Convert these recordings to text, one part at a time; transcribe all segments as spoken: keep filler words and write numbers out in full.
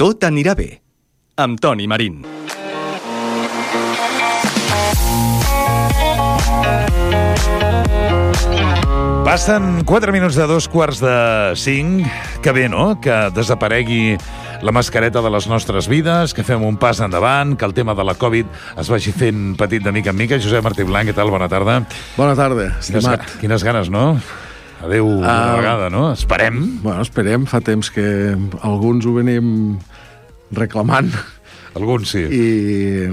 Tot anirà bé, amb Toni Marín. Passen quatre minuts de dos quarts de cinc. Que bé, no?, que desaparegui la mascareta de les nostres vides, que fem un pas endavant, que el tema de la Covid es vagi fent petit de mica en mica. Josep Martí Blanc, què tal? Bona tarda. Bona tarda, estimat. Quines, quines ganes, no? Adéu uh, una vegada, no? Esperem. Bueno, esperem. Fa temps que alguns ho venim reclamant. Alguns sí. I,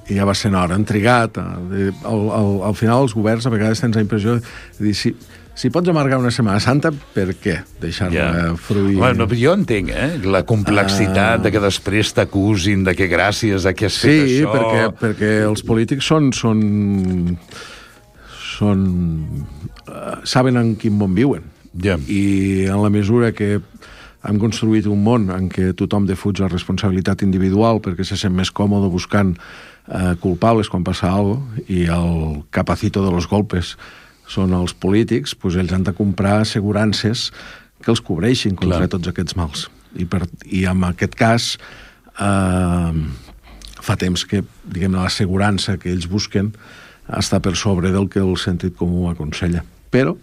i ja va ser hora. Han trigat. Al, al, al final els governs a vegades tens la impressió de dir, si, si pots amargar una Setmana Santa, per què deixar-la yeah. fruir? Bueno, jo entenc, eh? La complexitat uh... de que després t'acusin de que gràcies a que has sí, fet això... Sí, perquè, perquè els polítics són... són, són uh, saben en quin món viuen. Yeah. I en la mesura que hem construït un món en què tothom defuig la responsabilitat individual perquè se sent més còmode buscant eh, culpables quan passa alguna cosa, i el capacito de los golpes són els polítics, doncs ells han de comprar assegurances que els cobreixin contra Clar. tots aquests mals. I, per, i en aquest cas eh, fa temps que, diguem, l'assegurança que ells busquen està per sobre del que el sentit comú aconsella. Però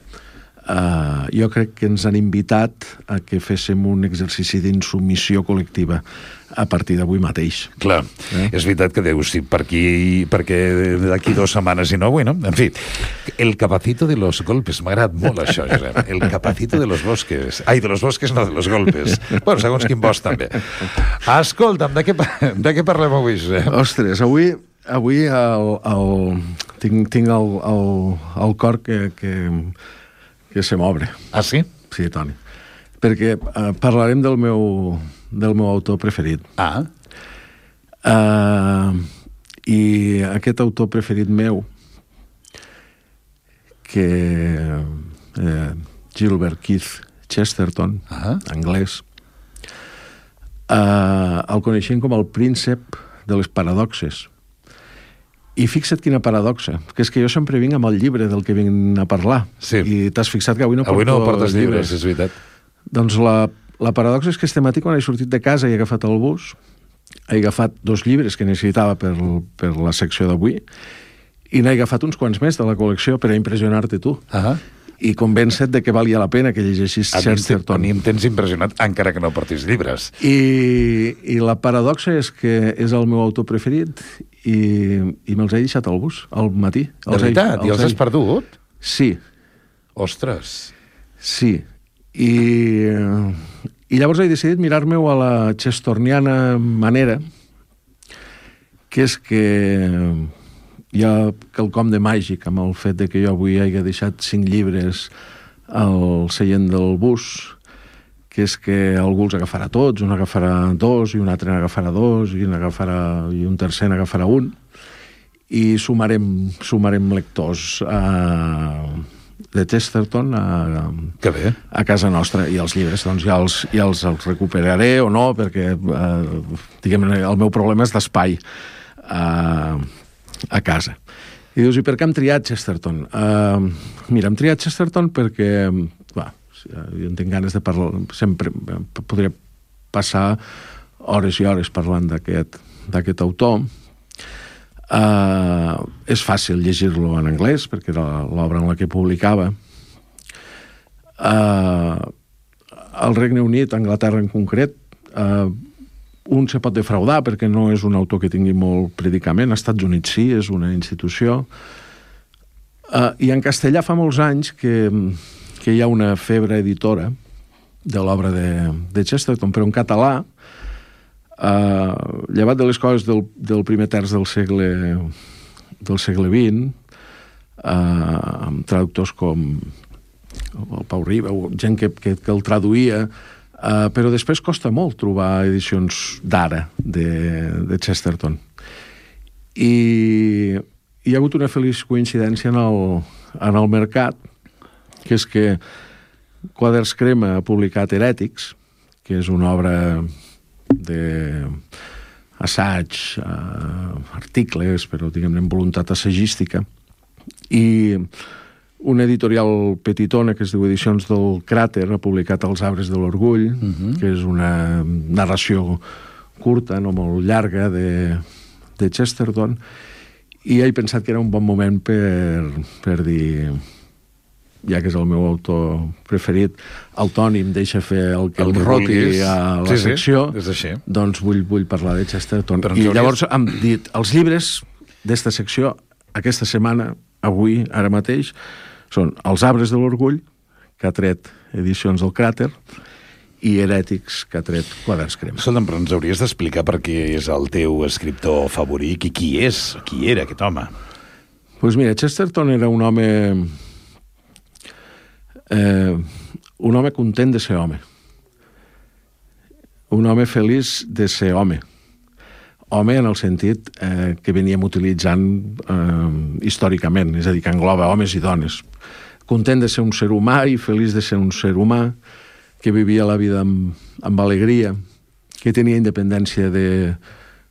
Uh, jo crec que ens han invitat a que féssim un exercici d'insubmissió col·lectiva a partir d'avui mateix. Clar, eh? És veritat que deus, sí, per aquí, perquè d'aquí dues setmanes i no, bueno, en fi, el capacito de los golpes, m'ha agradat molt això, Josep, el capacito de los bosques, ai, de los bosques no, de los golpes, bueno, segons quin bosc també. Escolta'm, de què, de què parlem avui, Josep? Ostres, avui, avui el, el, tinc, tinc el, el, el cor que... que que se m'obre. Ah, sí? Sí, Toni. Perquè uh, parlarem del meu, del meu autor preferit. Ah. Uh, I aquest autor preferit meu, que uh, Gilbert Keith Chesterton, ah. anglès, uh, el coneixem com el príncep de les paradoxes. I fixa't quina paradoxa, que és que jo sempre vinc amb el llibre del que vinc a parlar. Sí. I t'has fixat que avui no avui porto no portes llibres, llibres. És veritat. Doncs la, la paradoxa és que este matí, quan he sortit de casa i he agafat el bus, he agafat dos llibres que necessitava per, per la secció d'avui, i n'he agafat uns quants més de la col·lecció per a impressionar-te tu. Ah. I convèncer de que valia la pena que llegeixis Chesterton. A mi em tens impressionat, encara que no portis llibres. I, i la paradoxa és que és el meu autor preferit i, i me'ls he deixat al bus, al matí. De veritat? I els has perdut? Sí. Ostres. Sí. I, i llavors he decidit mirar-me-ho a la chestorniana manera, que és que hi ha quelcom de màgic amb el fet de que jo avui hagi deixat cinc llibres al seient del bus, que és que algú els agafarà tots, un agafarà dos, i un altre n'agafarà dos, i un, agafarà, i un tercer n'agafarà un, i sumarem, sumarem lectors a, de Chesterton a, que bé. a casa nostra, i els llibres doncs ja els, ja els, els recuperaré o no, perquè eh, diguem, el meu problema és d'espai a, a casa. I dius, i per què hem triat Chesterton? Uh, mira, hem triat Chesterton perquè va, jo en tinc ganes de parlar, sempre podria passar hores i hores parlant d'aquest d'aquest autor. Uh, és fàcil llegir-lo en anglès, perquè era l'obra en la que publicava. Uh, al Regne Unit, a Anglaterra en concret, uh, un se pot defraudar perquè no és un autor que tingui molt predicament. Als Estats Units sí, és una institució. Uh, I en castellà fa molts anys que, que hi ha una febre editora de l'obra de, de Chesterton, però en català, uh, llevat de les coses del, del primer terç del segle, del segle vint, uh, amb traductors com el Pau Riba, gent que, que, que el traduïa, Uh, però després costa molt trobar edicions d'ara de, de Chesterton. I hi ha hagut una feliç coincidència en el, en el mercat, que és que Quaders Crema ha publicat Herètics, que és una obra de assaig, uh, articles, però diguem-ne amb voluntat assagística, i una editorial petitona que es diu Edicions del Cràter ha publicat Els arbres de l'orgull, uh-huh. que és una narració curta, no molt llarga, de, de Chesterton, i he pensat que era un bon moment per, per dir, ja que és el meu autor preferit, el Toni em deixa fer el que el em roti vulguis. A la sí, secció, sí, doncs vull, vull parlar de Chesterton. I hauries... llavors hem dit, els llibres d'esta secció, aquesta setmana, avui, ara mateix, són Els arbres de l'orgull, que ha tret Edicions del Cràter, i Herètics, que ha tret Quaderns Crema. Escolta'm, però ens hauries d'explicar per què és el teu escriptor favorit i qui és, qui era aquest home? Doncs pues mira, Chesterton era un home... Eh, un home content de ser home. Un home feliç de ser home. Home en el sentit eh, que veníem utilitzant eh, històricament, és a dir, que engloba homes i dones. Content de ser un ser humà i feliç de ser un ser humà, que vivia la vida amb, amb alegria, que tenia independència de,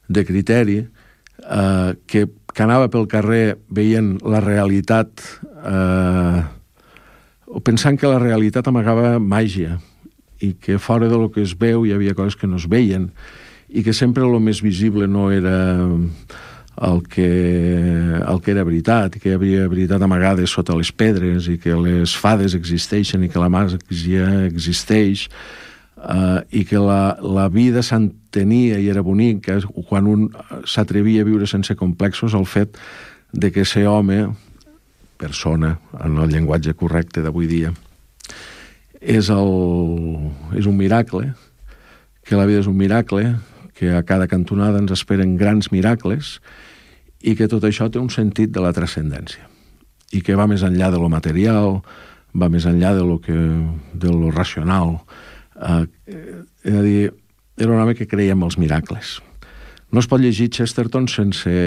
de criteri, eh, que, que anava pel carrer veient la realitat, eh, o pensant que la realitat amagava màgia, i que fora de lo que es veu hi havia coses que no es veien, i que sempre el més visible no era el que, el que era veritat, i que hi havia veritat amagades sota les pedres, i que les fades existeixen, i que la màgia existeix, uh, i que la, la vida s'entenia i era bonica quan un s'atrevia a viure sense complexos, el fet de que ser home, persona, en el llenguatge correcte d'avui dia, és, el, és un miracle, que la vida és un miracle, que a cada cantonada ens esperen grans miracles, i que tot això té un sentit de la transcendència, i que va més enllà de lo material, va més enllà de lo, que, de lo racional. Eh, és a dir, era un home que creia en els miracles. No es pot llegir Chesterton sense...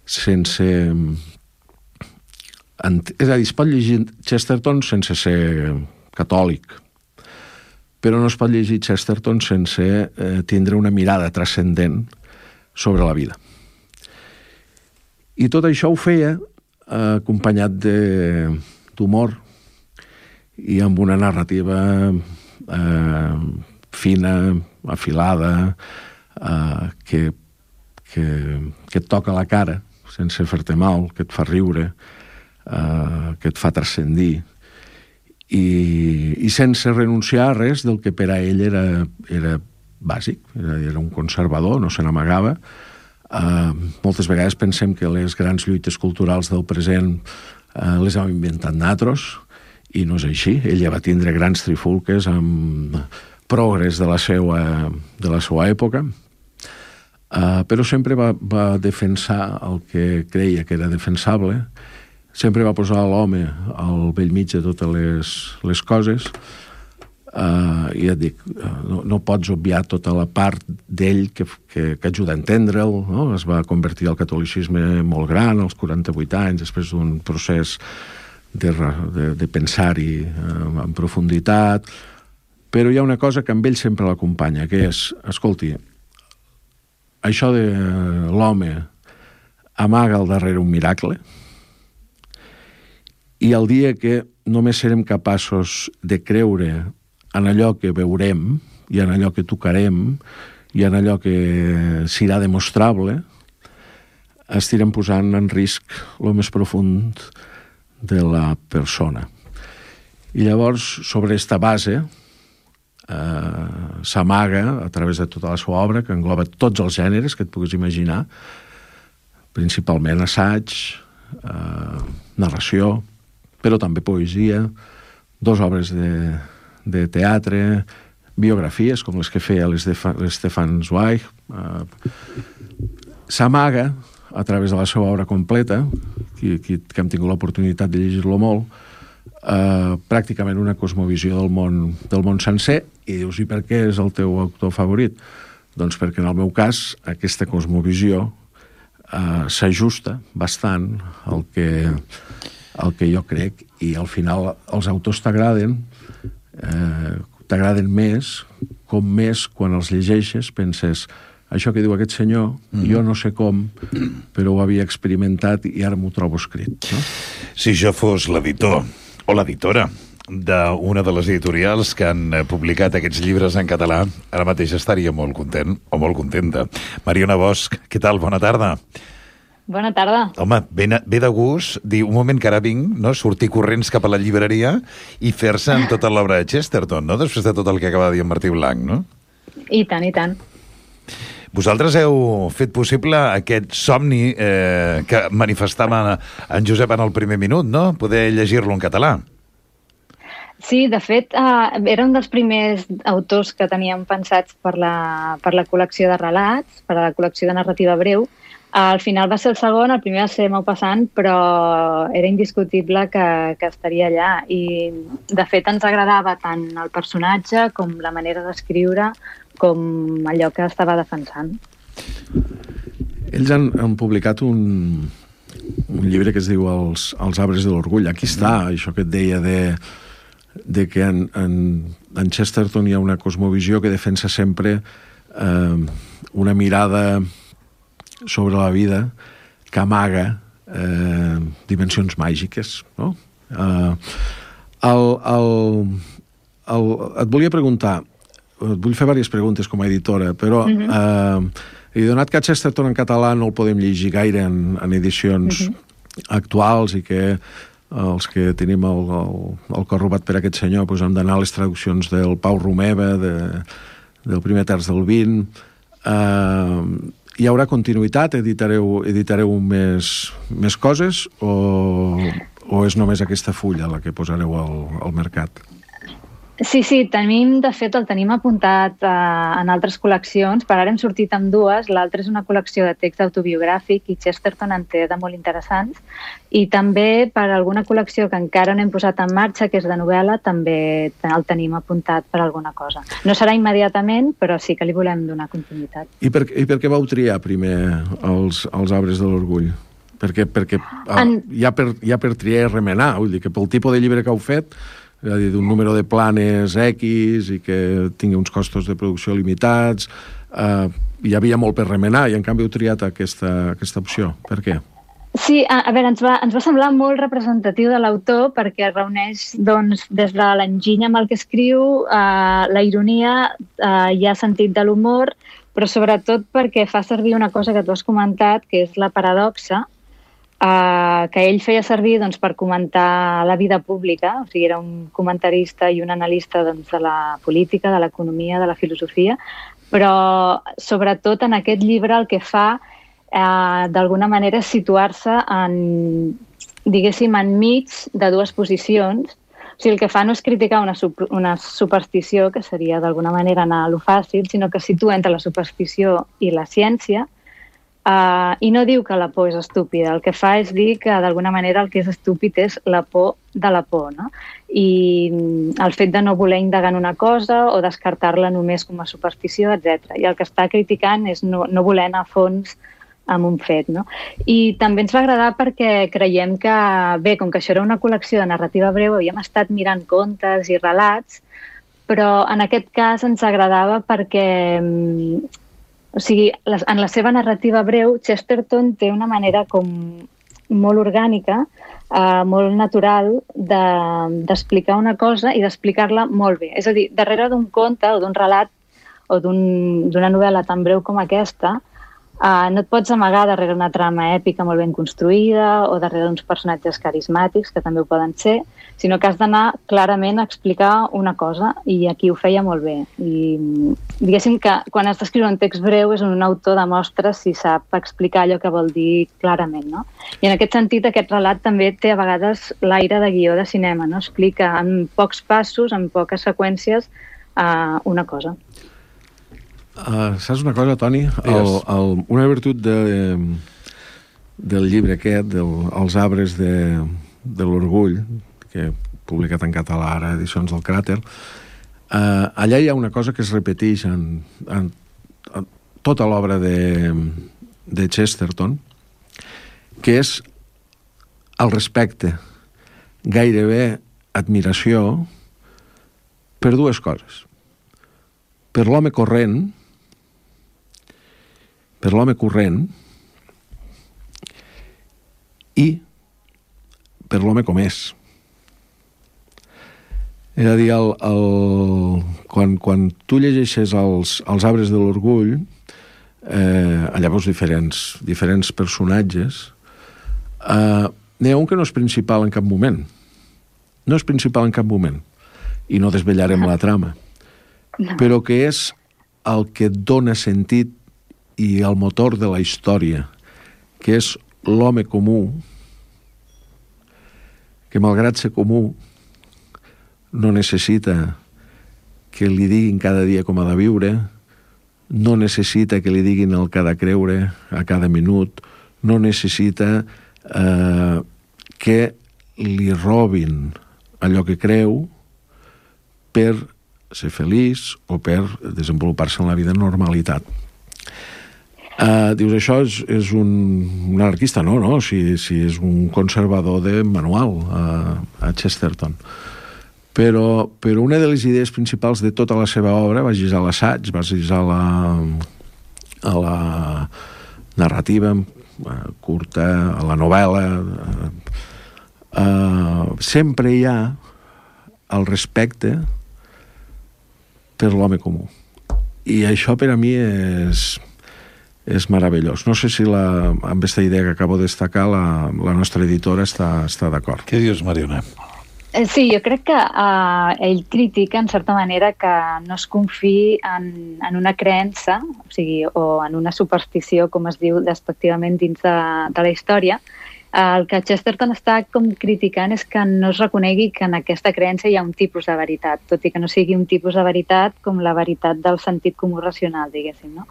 sense és a dir, es pot llegir Chesterton sense ser catòlic, però no es pot llegir Chesterton sense eh, tindre una mirada transcendent sobre la vida. I tot això ho feia eh, acompanyat d'humor i amb una narrativa eh, fina, afilada, eh, que, que, que et toca la cara sense fer-te mal, que et fa riure, Uh, que et fa transcendir i, i sense renunciar a res del que per a ell era, era bàsic, era, era un conservador, no se n'amagava. Uh, moltes vegades pensem que les grans lluites culturals del present uh, les hem inventat nosaltres, i no és així. Ell ja va tindre grans trifulques amb progres de la seva, de la seva època, uh, però sempre va, va defensar el que creia que era defensable. Sempre va posar l'home al bell mig de totes les, les coses, uh, i et dic, no, no pots obviar tota la part d'ell que, que, que ajuda a entendre'l, no? Es va convertir al catolicisme molt gran, als quaranta-vuit anys, després d'un procés de, de, de pensar-hi uh, en profunditat, però hi ha una cosa que amb ell sempre l'acompanya, que és, escolti, això de l'home amaga al darrere un miracle, i el dia que només serem capaços de creure en allò que veurem i en allò que tocarem i en allò que serà demostrable, estirem posant en risc el més profund de la persona. I llavors, sobre aquesta base, eh, s'amaga a través de tota la seva obra, que engloba tots els gèneres que et puguis imaginar, principalment assaig, eh, narració, però també poesia, dos obres de, de teatre, biografies, com les que feia l'Stefan Zweig. Eh, s'amaga, a través de la seva obra completa, que, que, que hem tingut l'oportunitat de llegir-lo molt, eh, pràcticament una cosmovisió del món, del món sencer, i dius, i per què és el teu autor favorit? Doncs perquè en el meu cas aquesta cosmovisió eh, s'ajusta bastant al que... el que jo crec, i al final els autors t'agraden, eh, t'agraden més, com més quan els llegeixes penses, això que diu aquest senyor, mm. jo no sé com, però ho havia experimentat i ara m'ho trobo escrit. No? Si jo fos l'editor o l'editora d'una de les editorials que han publicat aquests llibres en català, ara mateix estaria molt content o molt contenta. Mariona Bosch, què tal? Bona tarda. Bona tarda. Home, ve, ve de gust dir un moment que ara vinc, no? Sortir corrents cap a la llibreria i fer-se amb tota l'obra de Chesterton, no? Després de tot el que acaba de dir en Martí Blanc, no? I tant, i tant. Vosaltres heu fet possible aquest somni eh, que manifestava en Josep en el primer minut, no? Poder llegir-lo en català. Sí, de fet, eh, era un dels primers autors que teníem pensats per la, per la col·lecció de relats, per a la col·lecció de narrativa breu. Al final va ser el segon, el primer va ser Maupassant, però era indiscutible que, que estaria allà. I, de fet, ens agradava tant el personatge com la manera d'escriure, com allò que estava defensant. Ells han, han publicat un, un llibre que es diu Els, els arbres de l'orgull. Aquí està, això que et deia de, de que en, en, en Chesterton hi ha una cosmovisió que defensa sempre eh, una mirada sobre la vida que amaga eh, dimensions màgiques, no? Eh, el, el, el, et volia preguntar, et vull fer diverses preguntes com a editora, però uh-huh. eh, i donat que Chesterton en català no el podem llegir gaire en, en edicions uh-huh. actuals i que els que tenim el, el, el cor robat per aquest senyor doncs hem d'anar a les traduccions del Pau Romeva, de, del primer terç del vint. Eh, hi haurà continuïtat? Editareu, editareu més, més coses o, o és només aquesta fulla la que posareu al, al mercat? Sí, sí, tenim, de fet, el tenim apuntat eh, en altres col·leccions. Per ara hem sortit amb dues. L'altra és una col·lecció de text autobiogràfic i Chesterton en té de molt interessants. I també per alguna col·lecció que encara no hem posat en marxa, que és de novel·la, també el tenim apuntat per alguna cosa. No serà immediatament, però sí que li volem donar continuïtat. I per, i per què vau triar primer els, els arbres de l'orgull? Perquè, perquè en... ja, per, ja per triar i remenar, vull dir que pel tipus de llibre que heu fet, és a dir, d'un número de planes X i que tingui uns costos de producció limitats, eh, hi havia molt per remenar i en canvi heu triat aquesta, aquesta opció. Per què? Sí, a, a veure, ens va, ens va semblar molt representatiu de l'autor perquè reuneix doncs, des de l'enginy amb el que escriu, eh, la ironia, eh, hi ha sentit de l'humor, però sobretot perquè fa servir una cosa que tu has comentat, que és la paradoxa, Uh, que ell feia servir doncs, per comentar la vida pública, o sigui, era un comentarista i un analista doncs, de la política, de l'economia, de la filosofia, però sobretot en aquest llibre el que fa uh, d'alguna manera és situar-se en, diguéssim, enmig de dues posicions. O sigui, el que fa no és criticar una, una superstició, que seria d'alguna manera anar a lo fàcil, sinó que situa entre la superstició i la ciència. Uh, I no diu que la por és estúpida, el que fa és dir que d'alguna manera el que és estúpid és la por de la por, no? I el fet de no voler indagar en una cosa o descartar-la només com a superstició, etcètera. I el que està criticant és no, no voler anar a fons amb un fet, no? I també ens va agradar perquè creiem que, bé, com que això era una col·lecció de narrativa breu, havíem estat mirant contes i relats, però en aquest cas ens agradava perquè o sigui, en la seva narrativa breu, Chesterton té una manera com molt orgànica, eh, molt natural d'explicar una cosa i d'explicar-la molt bé. És a dir, darrere d'un conte o d'un relat o d'una novel·la tan breu com aquesta, Uh, no et pots amagar darrere una trama èpica molt ben construïda o darrere uns personatges carismàtics, que també ho poden ser, sinó que has d'anar clarament a explicar una cosa, i aquí ho feia molt bé. I diguéssim que quan has d'escriure un text breu és un autor demostra si sap explicar allò que vol dir clarament, no? I en aquest sentit aquest relat també té a vegades l'aire de guió de cinema, no? Explica en pocs passos, en poques seqüències, uh, una cosa. Uh, saps una cosa, Toni? El, el, una virtut de, del llibre aquest, del, Els arbres de, de l'orgull, que he publicat en català ara, edicions del Cràter, uh, allà hi ha una cosa que es repeteix en, en, en tota l'obra de, de Chesterton, que és el respecte, gairebé admiració, per dues coses. Per l'home corrent per l'home corrent i per l'home com és. És a dir, el, el, quan, quan tu llegeixes els, els arbres de l'orgull, eh, allà veus diferents, diferents personatges, eh, n'hi ha un que no és principal en cap moment. No és principal en cap moment. I no desvetllarem la trama. No. Però que és el que dona sentit i el motor de la història, que és l'home comú, que malgrat ser comú no necessita que li diguin cada dia com ha de viure, no necessita que li diguin el que ha de creure a cada minut, no necessita eh, que li robin allò que creu per ser feliç o per desenvolupar-se en la vida en normalitat. Uh, dius, això és, és un, un anarquista? No, no, si, si és un conservador de manual uh, a Chesterton. Però, però una de les idees principals de tota la seva obra, vagis a l'assaig, vagis a la, a la narrativa uh, curta, a la novel·la, uh, uh, sempre hi ha el respecte per l'home comú. I això per a mi és... és meravellós. No sé si la, amb aquesta idea que acabo de destacar la, la nostra editora està, està d'acord. Què dius, Mariona? Sí, jo crec que uh, ell critica, en certa manera, que no es confiï en, en una creença, o sigui, o en una superstició, com es diu despectivament dins de, de la història. Uh, el que Chesterton està com criticant és que no es reconegui que en aquesta creença hi ha un tipus de veritat, tot i que no sigui un tipus de veritat com la veritat del sentit comú racional, diguéssim, no?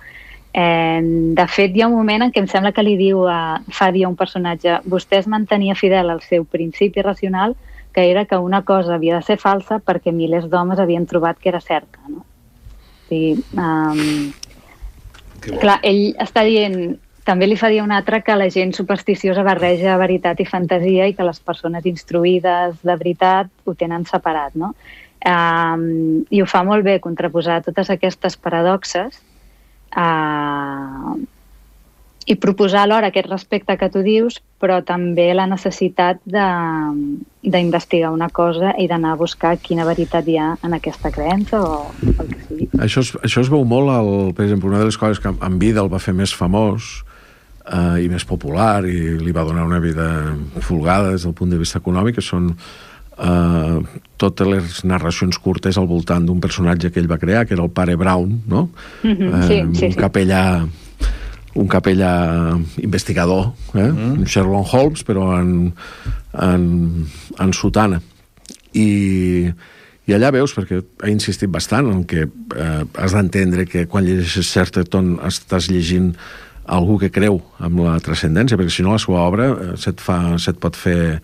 Eh, de fet, hi ha un moment en què em sembla que li diu a, fa dir a un personatge, vostè es mantenia fidel al seu principi racional, que era que una cosa havia de ser falsa perquè milers d'homes havien trobat que era certa, no? O sigui, um, clar, ell està dient, també li fa dir un altre que la gent supersticiosa barreja veritat i fantasia i que les persones instruïdes de veritat ho tenen separat, no? Um, I ho fa molt bé contraposar totes aquestes paradoxes Uh, i proposar alhora aquest respecte que tu dius, però també la necessitat d'investigar una cosa i d'anar a buscar quina veritat hi ha en aquesta creença o el que sigui. Això es, això es veu molt, al, per exemple, una de les coses que en vida el va fer més famós uh, i més popular i li va donar una vida folgada des del punt de vista econòmic, que són Uh, totes les narracions curtes al voltant d'un personatge que ell va crear, que era el pare Brown, no? Mm-hmm, sí, uh, sí, un sí. capellà un capellà investigador, eh? Mm. Un Sherlock Holmes, però en, en, en sotana. I, I allà veus, perquè ha insistit bastant en que eh, has d'entendre que quan llegeixes Chesterton estàs llegint algú que creu en la transcendència, perquè si no la seva obra eh, se't, fa, se't pot fer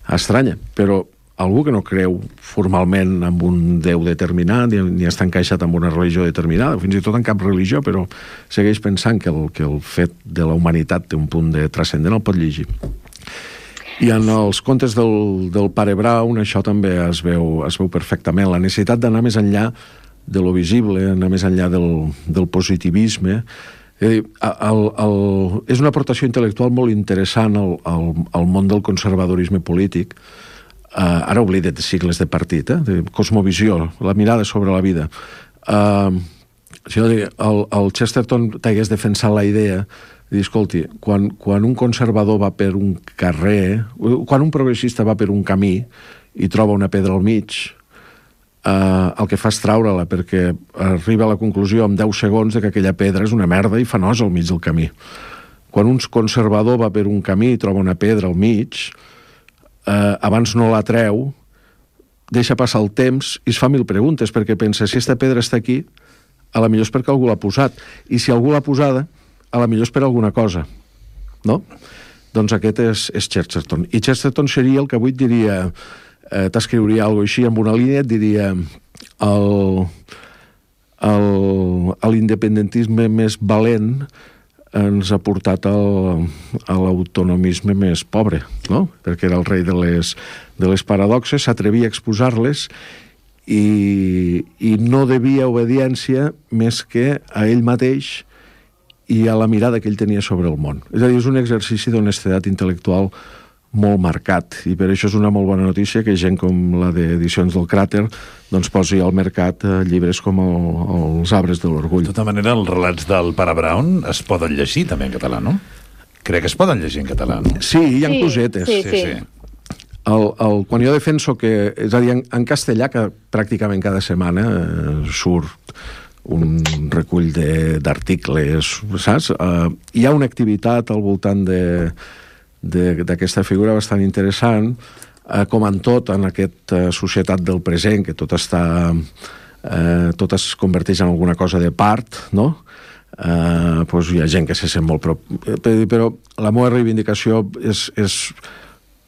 estranya, però algú que no creu formalment en un déu determinat ni, ni està encaixat en una religió determinada, fins i tot en cap religió, però segueix pensant que el, que el fet de la humanitat té un punt de transcendent, el pot llegir. I en els contes del, del pare Brown això també es veu, es veu perfectament, la necessitat d'anar més enllà de lo visible, anar més enllà del, del positivisme. És a dir, el, el, és una aportació intel·lectual molt interessant al, al, al món del conservadorisme polític. Uh, ara oblida't de sigles de partit, eh? De cosmovisió, la mirada sobre la vida. Uh, si no, el, el Chesterton t'hagués defensat la idea de dir, escolti, quan, quan un conservador va per un carrer, quan un progressista va per un camí i troba una pedra al mig, uh, el que fa és traure-la, perquè arriba a la conclusió en deu segons de que aquella pedra és una merda i fa nosa al mig del camí. Quan un conservador va per un camí i troba una pedra al mig, Uh, abans no la treu, deixa passar el temps i es fa mil preguntes, perquè pensa, si aquesta pedra està aquí, a la millor és perquè algú l'ha posat, i si algú l'ha posada, a la millor és per alguna cosa, no? Doncs aquest és, és Chesterton. I Chesterton seria el que avui et diria, eh, t'escriuria alguna cosa així, amb una línia, et diria el, el, l'independentisme més valent ens ha portat al, a l'autonomisme més pobre, no? Perquè era el rei de les, de les paradoxes, s'atrevia a exposar-les i, i no devia obediència més que a ell mateix i a la mirada que ell tenia sobre el món. És a dir, és un exercici d'honestedat intel·lectual molt marcat, i per això és una molt bona notícia que gent com la d'Edicions del Cràter doncs posi al mercat eh, llibres com el, els Arbres de l'Orgull. De tota manera, els relats del Pare Brown es poden llegir també en català, no? Crec que es poden llegir en català, no? Sí, hi ha Sí, cosetes. sí, Sí, sí. El, el, quan jo defenso que... És a dir, en, en castellà, que pràcticament cada setmana eh, surt un recull de- d'articles, saps? Eh, hi ha una activitat al voltant de de- d'aquesta figura bastant interessant, eh, com en tot, en aquesta societat del present, que tot està... Eh, tot es converteix en alguna cosa de part, no? Eh, doncs hi ha gent que se sent molt prop... Eh, però la meva reivindicació és, és,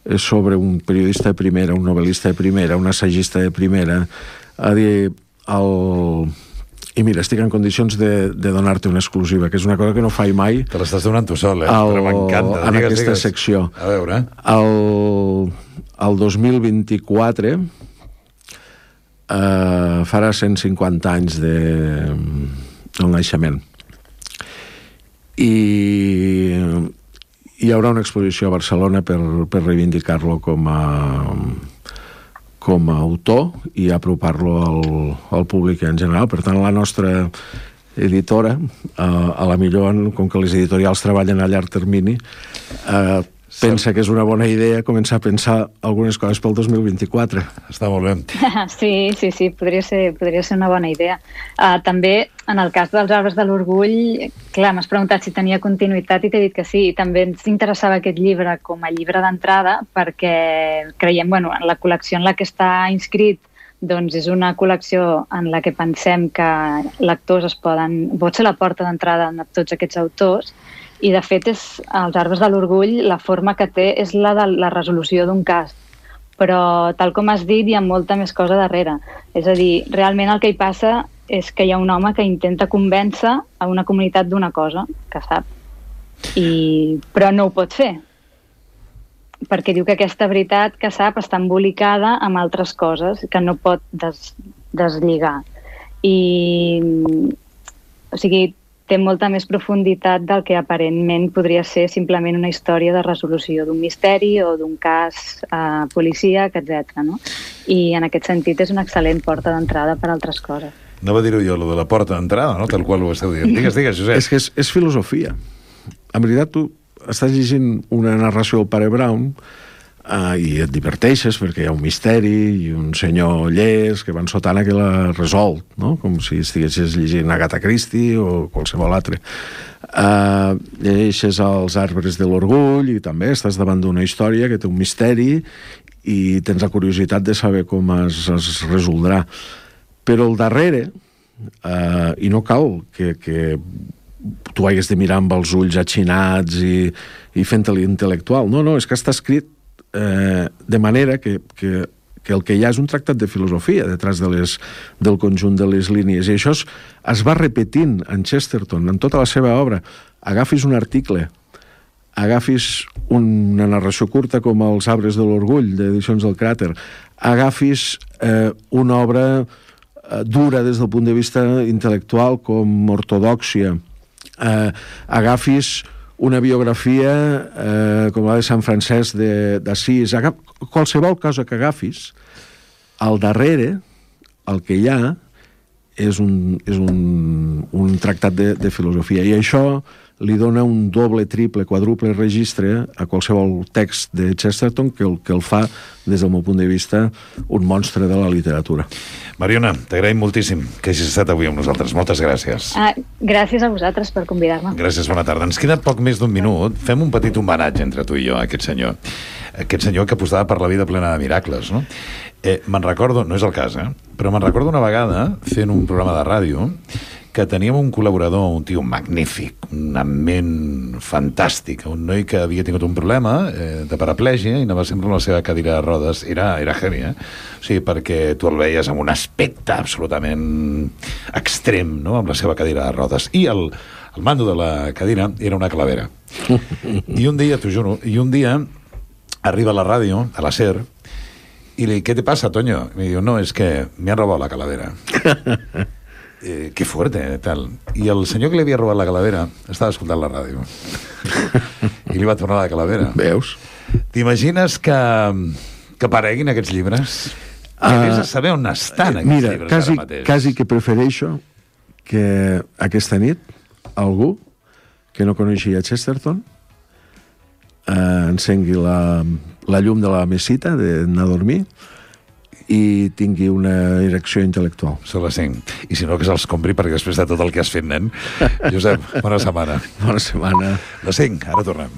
és sobre un periodista de primera, un novel·lista de primera, un assagista de primera, a dir, el... I mira, estic en condicions de, de donar-te una exclusiva, que és una cosa que no faig mai. Te l'estàs donant tu sol, eh? El, Però m'encanta. en Digues, aquesta digues. secció. A veure. El, el dos mil vint-i-quatre eh, farà cent cinquanta anys de, del naixement. I hi haurà una exposició a Barcelona per, per reivindicar-lo com a... com a autor i apropar-lo al, al públic en general. Per tant, la nostra editora, eh, a la millor, com que les editorials treballen a llarg termini, eh, pensa que és una bona idea començar a pensar algunes coses pel dos mil vint-i-quatre. Està molt bé. Sí, sí, sí, podria ser, podria ser una bona idea. Uh, també, en el cas dels Arbres de l'Orgull, clar, m'has preguntat si tenia continuïtat i t'he dit que sí, i també ens interessava aquest llibre com a llibre d'entrada perquè creiem, bueno, en la col·lecció en la que està inscrit, doncs és una col·lecció en la que pensem que lectors es poden... pot ser la porta d'entrada a tots aquests autors, i de fet és, els Arbres de l'Orgull, la forma que té és la de la resolució d'un cas, però tal com has dit hi ha molta més cosa darrere. És a dir, realment el que hi passa és que hi ha un home que intenta convèncer a una comunitat d'una cosa que sap, i... però no ho pot fer, perquè diu que aquesta veritat que sap està embolicada amb altres coses que no pot des... deslligar. I... O sigui, té molta més profunditat del que aparentment podria ser simplement una història de resolució d'un misteri o d'un cas eh, policíac, etcètera. No? I en aquest sentit és una excel·lent porta d'entrada per a altres coses. No va dir-ho jo, lo de la porta d'entrada, no? Tal qual ho esteu dient. Digues, digues, Josep. És que és, és filosofia. En veritat, tu estàs llegint una narració del Pare Brown Uh, i et diverteixes perquè hi ha un misteri i un senyor llest que van sotana que l'ha resolt, no? Com si estiguessis llegint Agatha Christie o qualsevol altre. Uh, llegeixes els Arbres de l'Orgull i també estàs davant d'una història que té un misteri i tens la curiositat de saber com es, es resoldrà. Però al darrere, uh, i no cal que, que tu hagués de mirar amb els ulls atxinats i, i fent-te l'intel·lectual. No, no, és que està escrit Eh, de manera que, que, que el que hi ha és un tractat de filosofia detrás de les, del conjunt de les línies, i això es, es va repetint en Chesterton, en tota la seva obra. Agafis un article, agafis una narració curta com Els Arbres de l'Orgull, d'Edicions del Cràter, agafis eh, una obra eh, dura des del punt de vista intel·lectual com Ortodòxia, eh, agafis una biografia eh, com la de Sant Francesc d'Assís, qualsevol cosa que agafis, al darrere el que hi ha és un, és un, un tractat de, de filosofia, i això li dona un doble, triple, quadruple registre a qualsevol text de Chesterton que el, que el fa, des del meu punt de vista, un monstre de la literatura. Mariona, t'agraïm moltíssim que hagis estat avui amb nosaltres. Moltes gràcies. Ah, gràcies a vosaltres per convidar-me. Gràcies, bona tarda. Ens queda poc més d'un minut. Fem un petit homenatge entre tu i jo a aquest senyor. Aquest senyor que apostava per la vida plena de miracles, no? Eh, me'n recordo, no és el cas, eh? Però me'n recordo una vegada, fent un programa de ràdio, que teníem un col·laborador, un tio magnífic, una ment fantàstica, un noi que havia tingut un problema eh, de paraplegia i anava sempre amb la seva cadira de rodes. Era, era heavy, eh? O sigui, perquè tu el veies amb un aspecte absolutament extrem, no?, amb la seva cadira de rodes. I el, el mando de la cadira era una calavera. I un dia, t'ho juro, i un dia arriba a la ràdio, a la SER, i li dic, ¿qué te pasa, Toño? I me diu, no, es que me han robado la calavera. Eh, que fuerte, eh, tal. I el senyor que li havia robat la calavera estava escoltant la ràdio. I li va tornar la calavera. Veus? T'imagines que, que apareguin aquests llibres? Que uh, vés a saber on estan aquests mira, llibres quasi, ara mateix. quasi que prefereixo que aquesta nit algú que no coneixia Chesterton eh, encengui la, la llum de la mesita d'anar a dormir i tingui una erecció intel·lectual. Són les cinc. I si no, que se'ls compri, perquè després de tot el que has fet, nen. Josep, bona setmana. Bona setmana. Les cinc, ara tornem.